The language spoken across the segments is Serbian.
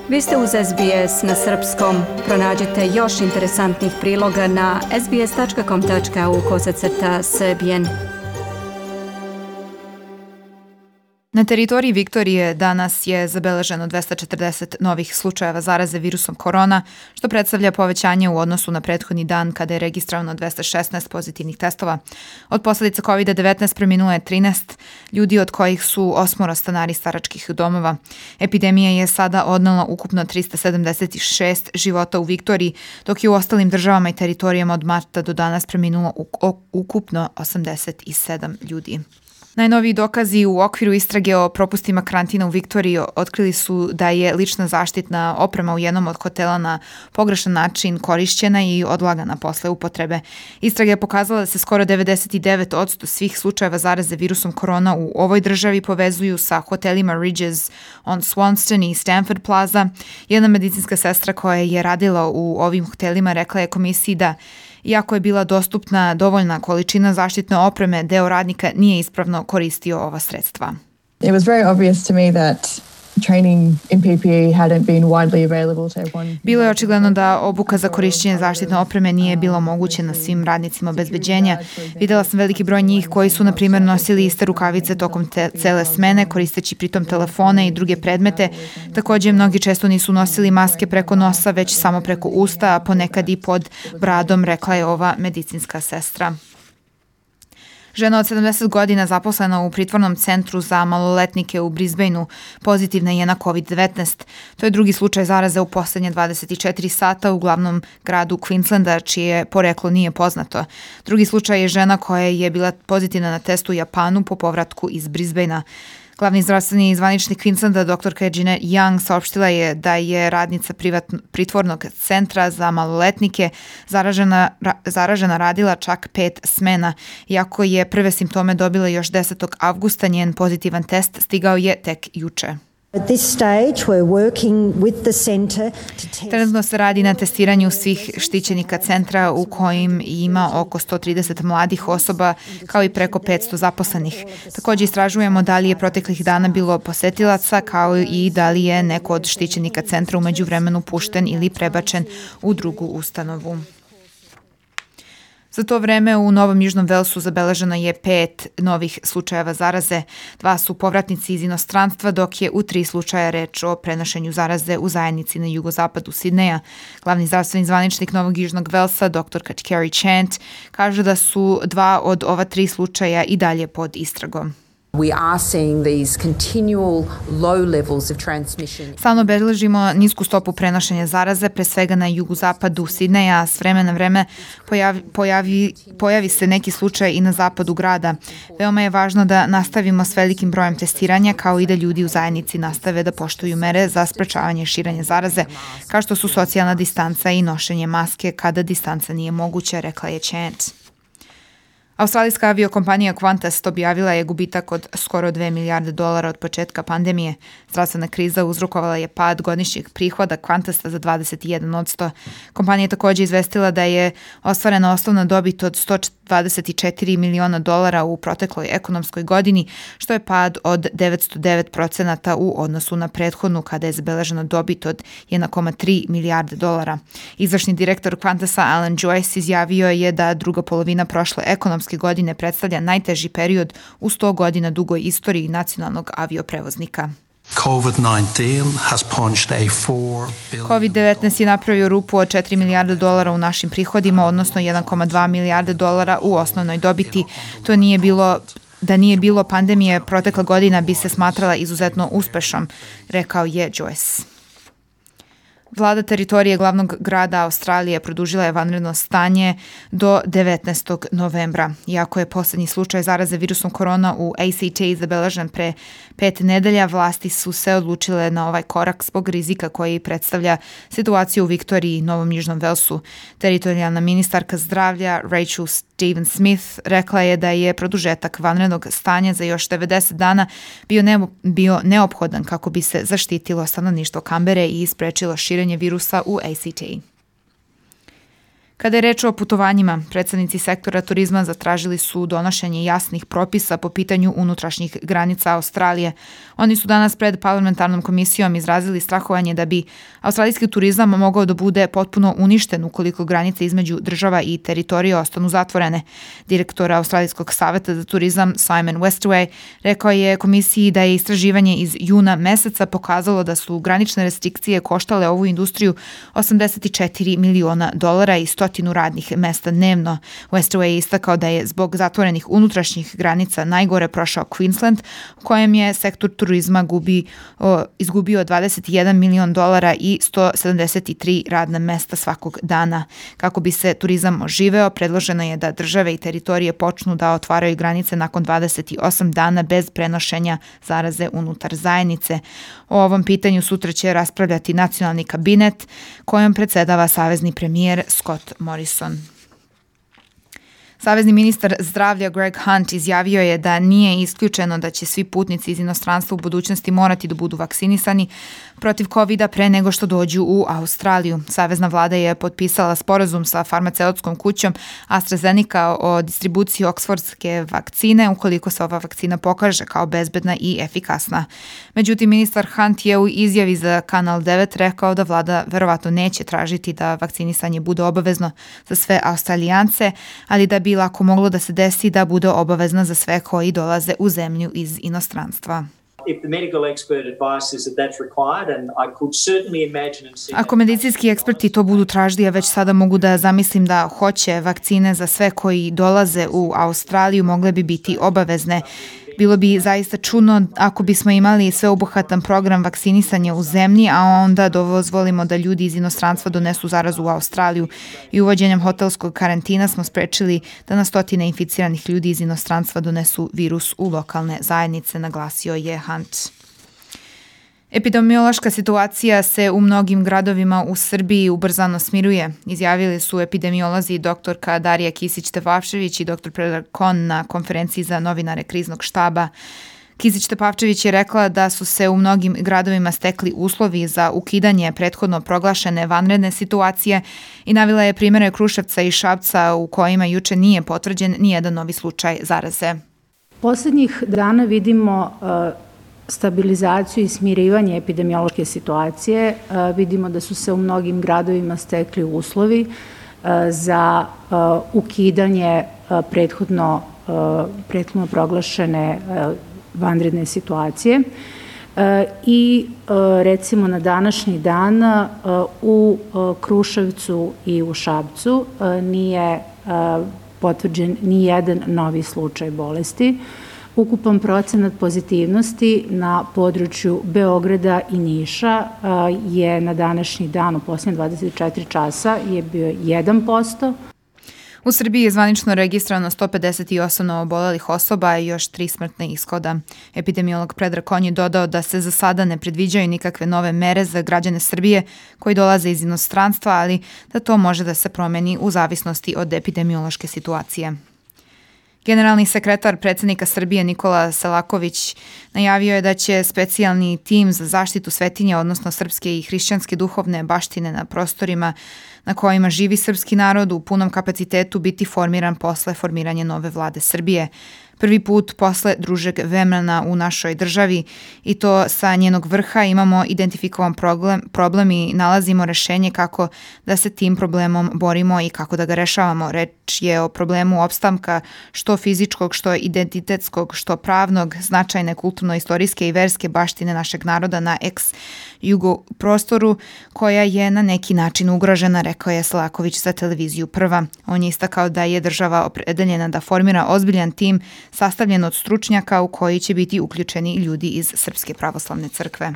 Vi ste uz SBS na srpskom. Pronađite još interesantnih priloga na sbs.com.au/srbijen. Na teritoriji Viktorije danas je zabeleženo 240 novih slučajeva zaraze virusom korona, što predstavlja povećanje u odnosu na prethodni dan kada je registrovano 216 pozitivnih testova. Od posljedica COVID-19 preminulo je 13 ljudi, od kojih su 8 stanari staračkih domova. Epidemija je sada odnela ukupno 376 života u Viktoriji, dok je u ostalim državama i teritorijama od marta do danas preminulo ukupno 87 ljudi. Najnoviji dokazi u okviru istrage o propustima karantina u Viktoriji otkrili su da je lična zaštitna oprema u jednom od hotela na pogrešan način korišćena i odlagana posle upotrebe. Istraga je pokazala da se skoro 99% svih slučajeva zaraze virusom korona u ovoj državi povezuju sa hotelima Ridges on Swanston i Stanford Plaza. Jedna medicinska sestra koja je radila u ovim hotelima rekla je komisiji da iako je bila dostupna dovoljna količina zaštitne opreme, deo radnika nije ispravno koristio ova sredstva. It was very obvious to me that training in PPE hadn't been widely available to everyone. Bilo je očigledno da obuka za korišćenje zaštitne opreme nije bilo omogućena svim radnicima obezbeđenja. Videla sam veliki broj njih koji su, na primjer, nosili iste rukavice tokom cele smene, koristeći pritom telefone i druge predmete. Također, mnogi često nisu nosili maske preko nosa, već samo preko usta, a ponekad i pod bradom, rekla je ova medicinska sestra. Žena od 70 godina zaposlena u pritvornom centru za maloletnike u Brisbaneu pozitivna je na COVID-19. To je drugi slučaj zaraze u posljednje 24 sata u glavnom gradu Queenslanda, čije poreklo nije poznato. Drugi slučaj je žena koja je bila pozitivna na testu u Japanu po povratku iz Brisbanea. Glavni zdravstveni zvaničnik Queenslanda, dr. Jeanette Young, saopštila je da je radnica pritvornog centra za maloletnike zaražena radila čak 5 smena. Iako je prve simptome dobila još 10. avgusta, njen pozitivan test stigao je tek juče. Trenutno se radi na testiranju svih štićenika centra u kojim ima oko 130 mladih osoba kao i preko 500 zaposlenih. Također istražujemo da li je proteklih dana bilo posetilaca kao i da li je neko od štićenika centra u međuvremenu pušten ili prebačen u drugu ustanovu. Za to vreme u Novom Južnom Velsu zabeleženo je 5 novih slučajeva zaraze. 2 su povratnici iz inostranstva, dok je u 3 slučaja reč o prenošenju zaraze u zajednici na jugozapadu Sidneja. Glavni zdravstveni zvaničnik Novog Južnog Velsa, dr. Carrie Chant, kaže da su 2 od ova 3 slučaja i dalje pod istragom. We are seeing these continual low levels of transmission. Stalno beležimo nisku stopu prenošenja zaraze, pre svega na jugozapadu Sidneja. S vremena na vreme pojavi se neki slučaj i na zapadu grada. Veoma je važno da nastavimo s velikim brojem testiranja, kao i da ljudi u zajednici nastave da poštuju mere za sprečavanje širenja zaraze, kao što su socijalna distanca i nošenje maske kada distanca nije moguća, rekla je Chant. Australijska aviokompanija Qantas objavila je gubitak od skoro $2 milijarde od početka pandemije. Zdravstvena kriza uzrokovala je pad godišnjeg prihoda Qantasa za 21%. Kompanija je također izvestila da je ostvarena osnovna dobit od $124 miliona u protekloj ekonomskoj godini, što je pad od 909% u odnosu na prethodnu kada je zabeležena dobit od $1,3 milijarde. Izvršni direktor Qantasa Alan Joyce izjavio je da druga polovina prošle ekonomske godine predstavlja najteži period u 100 godina dugoj istoriji nacionalnog avioprevoznika. COVID-19 je napravio rupu od $4 milijarde u našim prihodima, odnosno $1,2 milijarde u osnovnoj dobiti. Da nije bilo pandemije, protekla godina bi se smatrala izuzetno uspešnom, rekao je Joyce. Vlada teritorije glavnog grada Australije produžila je vanredno stanje do 19. novembra. Iako je posljednji slučaj zaraze virusom korona u ACT zabeležen pre 5 nedelja, vlasti su se odlučile na ovaj korak zbog rizika koji predstavlja situaciju u Viktoriji i Novom Južnom Velsu. Teritorijalna ministarka zdravlja Rachel Stephen-Smith rekla je da je produžetak vanrednog stanja za još 90 dana bio neophodan kako bi se zaštitilo stanovništvo Kambere i sprečilo širenje virusa u ACT. Kada je reč o putovanjima, predstavnici sektora turizma zatražili su donošenje jasnih propisa po pitanju unutrašnjih granica Australije. Oni su danas pred parlamentarnom komisijom izrazili strahovanje da bi australijski turizam mogao da bude potpuno uništen ukoliko granice između država i teritorije ostanu zatvorene. Direktor Australijskog saveta za turizam Simon Westaway rekao je komisiji da je istraživanje iz juna meseca pokazalo da su granične restrikcije koštale ovu industriju $84 miliona i 100 radnih mesta dnevno. Westaway je istakao da je zbog zatvorenih unutrašnjih granica najgore prošao Queensland, u kojem je sektor turizma izgubio $21 milion i 173 radna mesta svakog dana. Kako bi se turizam oživeo, predloženo je da države i teritorije počnu da otvaraju granice nakon 28 dana bez prenošenja zaraze unutar zajednice. O ovom pitanju sutra će raspravljati nacionalni kabinet kojom predsedava savezni premijer Scott Morrison. Savezni ministar zdravlja Greg Hunt izjavio je da nije isključeno da će svi putnici iz inostranstva u budućnosti morati da budu vakcinisani protiv COVID-a pre nego što dođu u Australiju. Savezna vlada je potpisala sporazum sa farmaceutskom kućom AstraZeneca o distribuciji oksfordske vakcine ukoliko se ova vakcina pokaže kao bezbedna i efikasna. Međutim, ministar Hunt je u izjavi za Kanal 9 rekao da vlada verovatno neće tražiti da vakcinisanje bude obavezno za sve Australijance, ali da bi lako moglo da se desi da bude obavezna za sve koji dolaze u zemlju iz inostranstva. Ako medicinski eksperti to budu tražili, ja već sada mogu da zamislim da hoće vakcine za sve koji dolaze u Australiju, mogle bi biti obavezne. Bilo bi zaista čudno ako bismo imali sveobuhvatan program vakcinisanja u zemlji, a onda dozvolimo da ljudi iz inostranstva donesu zarazu u Australiju. I uvođenjem hotelskog karantina smo sprečili da na stotine inficiranih ljudi iz inostranstva donesu virus u lokalne zajednice, naglasio je Hunt. Epidemiološka situacija se u mnogim gradovima u Srbiji ubrzano smiruje, izjavili su epidemiolozi doktorka Darija Kisić-Tepavčević i dr. Predrag Kon na konferenciji za novinare kriznog štaba. Kisić-Tepavčević je rekla da su se u mnogim gradovima stekli uslovi za ukidanje prethodno proglašene vanredne situacije i navela je primere Kruševca i Šapca u kojima juče nije potvrđen nijedan novi slučaj zaraze. Poslednjih dana vidimo stabilizaciju i smirivanje epidemiološke situacije. Vidimo da su se u mnogim gradovima stekli uslovi za ukidanje prethodno proglašene vanredne situacije. I recimo na današnji dan u Kruševcu i u Šapcu nije potvrđen ni jedan novi slučaj bolesti. Ukupan procenat pozitivnosti na području Beograda i Niša je na današnji dan u posljednje 24 časa je bio 1%. U Srbiji je zvanično registrovano 158 novoobolelih osoba i još 3 smrtne ishoda. Epidemiolog Predrag Kon je dodao da se za sada ne predviđaju nikakve nove mere za građane Srbije koji dolaze iz inostranstva, ali da to može da se promeni u zavisnosti od epidemiološke situacije. Generalni sekretar predsjednika Srbije Nikola Selaković najavio je da će specijalni tim za zaštitu svetinja, odnosno srpske i hrišćanske duhovne baštine na prostorima na kojima živi srpski narod u punom kapacitetu biti formiran posle formiranja nove vlade Srbije. Prvi put posle družeg vremena u našoj državi i to sa njenog vrha imamo identifikovan problem i nalazimo rešenje kako da se tim problemom borimo i kako da ga rešavamo. Reč je o problemu opstanka što fizičkog, što identitetskog, što pravnog, značajne kulturno-istorijske i verske baštine našeg naroda na ex-jugo prostoru koja je na neki način ugrožena, rekao je Selaković za televiziju Prva. On je istakao da je država opredeljena da formira ozbiljan tim sastavljen od stručnjaka u koji će biti uključeni ljudi iz Srpske pravoslavne crkve.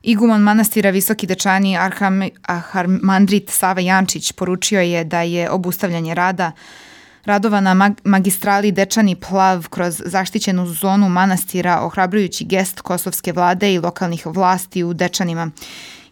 Iguman manastira Visoki Dečani arhamandrit Sava Jančić poručio je da je obustavljanje radova na magistrali Dečani Plav kroz zaštićenu zonu manastira ohrabrujući gest kosovske vlade i lokalnih vlasti u Dečanima.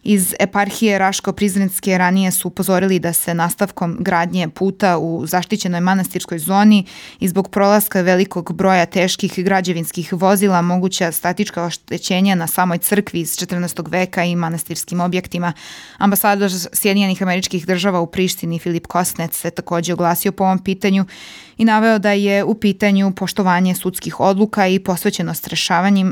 Iz eparhije Raško-Prizrenske ranije su upozorili da se nastavkom gradnje puta u zaštićenoj manastirskoj zoni i zbog prolaska velikog broja teških građevinskih vozila moguća statička oštećenja na samoj crkvi iz 14. veka i manastirskim objektima. Ambasador Sjedinjenih Američkih Država u Prištini Filip Kosnec se također oglasio po ovom pitanju i naveo da je u pitanju poštovanje sudskih odluka i posvećenost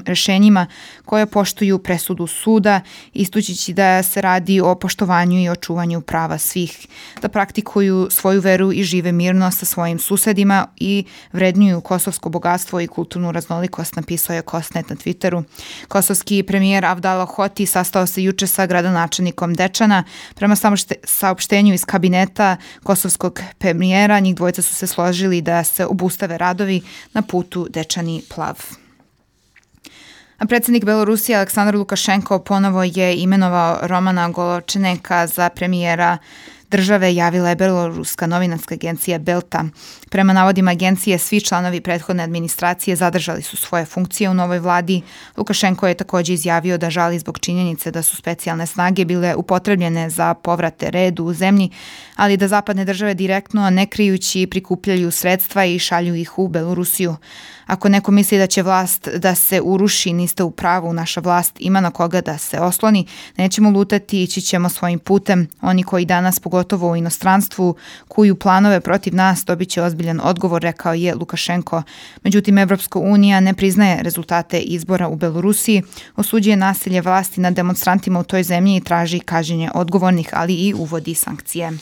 rešenjima koje poštuju presudu suda, ističući da se radi o poštovanju i očuvanju prava svih, da praktikuju svoju veru i žive mirno sa svojim susedima i vrednuju kosovsko bogatstvo i kulturnu raznolikost, napisao je Kosnet na Twitteru. Kosovski premijer Avdala Hoti sastao se juče sa gradonačelnikom Dečana. Prema saopštenju iz kabineta kosovskog premijera, njih dvojica su se složili da se obustave radovi na putu Dečani-Plav. A predsjednik Belorusije Aleksandar Lukašenko ponovo je imenovao Romana Goločeneka za premijera države, javila je beloruska novinarska agencija Belta. Prema navodima agencije, svi članovi prethodne administracije zadržali su svoje funkcije u novoj vladi. Lukašenko je također izjavio da žali zbog činjenice da su specijalne snage bile upotrebljene za povrate redu u zemlji, ali da zapadne države direktno, ne krijući, prikupljaju sredstva i šalju ih u Belorusiju. Ako neko misli da će vlast da se uruši, niste u pravu, naša vlast ima na koga da se osloni, nećemo lutati, ići ćemo svojim putem. Oni koji danas, pogotovo u inostranstvu, kuju planove protiv nas, dobit će ozbiljan odgovor, rekao je Lukašenko. Međutim, Evropska unija ne priznaje rezultate izbora u Belorusiji, osuđuje nasilje vlasti nad demonstrantima u toj zemlji i traži kažnjenje odgovornih, ali i uvodi sankcije.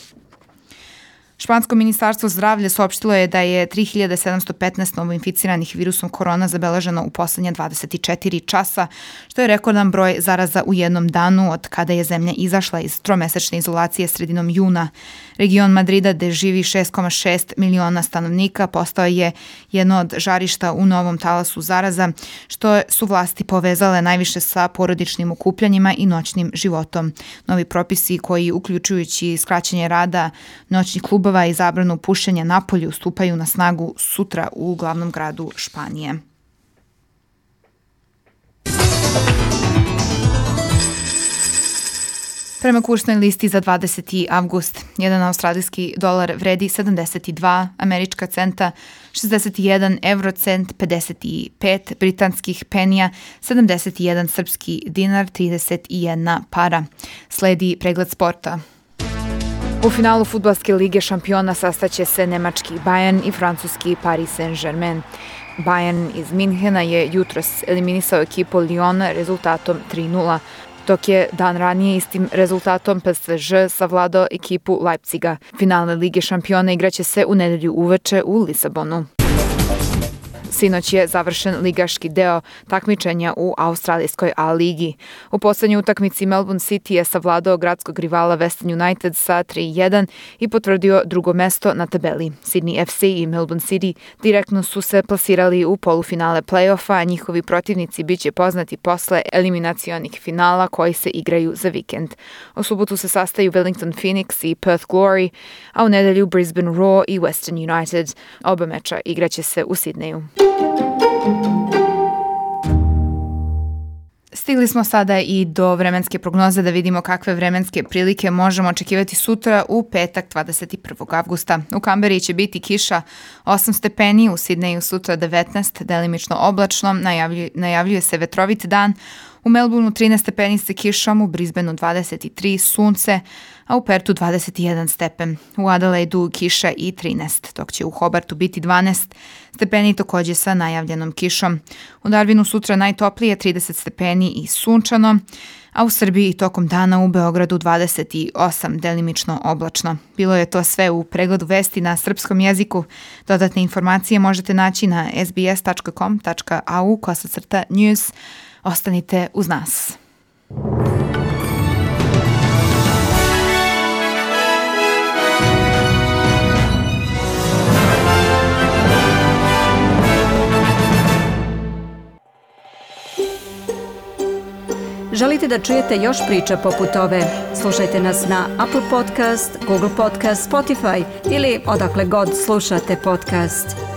Špansko ministarstvo zdravlja saopštilo je da je 3715 novoinficiranih virusom korona zabeleženo u poslednje 24 časa, što je rekordan broj zaraza u jednom danu od kada je zemlja izašla iz tromesečne izolacije sredinom juna. Region Madrida, gde živi 6,6 miliona stanovnika, postao je jedno od žarišta u novom talasu zaraza, što su vlasti povezale najviše sa porodičnim okupljanjima i noćnim životom. Novi propisi koji, uključujući skraćenje rada noćnih klubova i zabranu pušenja napolju, stupaju na snagu sutra u glavnom gradu Španije. Prema kursnoj listi za 20. avgust, jedan australijski dolar vredi 72 američka centa, 61 eurocent, 55 britanskih penija, 71 srpski dinar, 31 para. Sledi pregled sporta. U finalu fudbalske lige šampiona sastaće se nemački Bayern i francuski Paris Saint-Germain. Bayern iz Minhena je jutros eliminisao ekipu Lyona rezultatom 3:0, dok je dan ranije istim rezultatom PSG savladao ekipu Leipziga. Finale Lige šampiona igraće se u nedelju uveče u Lisabonu. Sinoć je završen ligaški deo takmičenja u australijskoj A-ligi. U poslednjoj utakmici Melbourne City je savladao gradskog rivala Western United sa 3:1 i potvrdio drugo mesto na tabeli. Sydney FC i Melbourne City direktno su se plasirali u polufinale play-offa, a njihovi protivnici biće poznati posle eliminacionih finala koji se igraju za vikend. U subotu se sastaju Wellington Phoenix i Perth Glory, a u nedelju Brisbane Roar i Western United. Oba meča igraće se u Sidneju. Stigli smo sada i do vremenske prognoze da vidimo kakve vremenske prilike možemo očekivati sutra u petak 21. avgusta. U Kamberi će biti kiša 8 stepeni, u Sidneju sutra 19, delimično oblačno, najavljuje se vetrovit dan. U Melbourneu 13 stepeni sa kišom, u Brisbaneu 23 sunce, a u Pertu 21 stepen. U Adelaidu kiša i 13, dok će u Hobartu biti 12 stepeni također sa najavljenom kišom. U Darwinu sutra najtoplije 30 stepeni i sunčano, a u Srbiji tokom dana u Beogradu 28, delimično oblačno. Bilo je to sve u pregledu vesti na srpskom jeziku. Dodatne informacije možete naći na sbs.com.au/news. Ostanite uz nas. Želite da čujete još priča poput ove? Slušajte nas na Apple Podcast, Google Podcast, Spotify ili odakle god slušate podcast.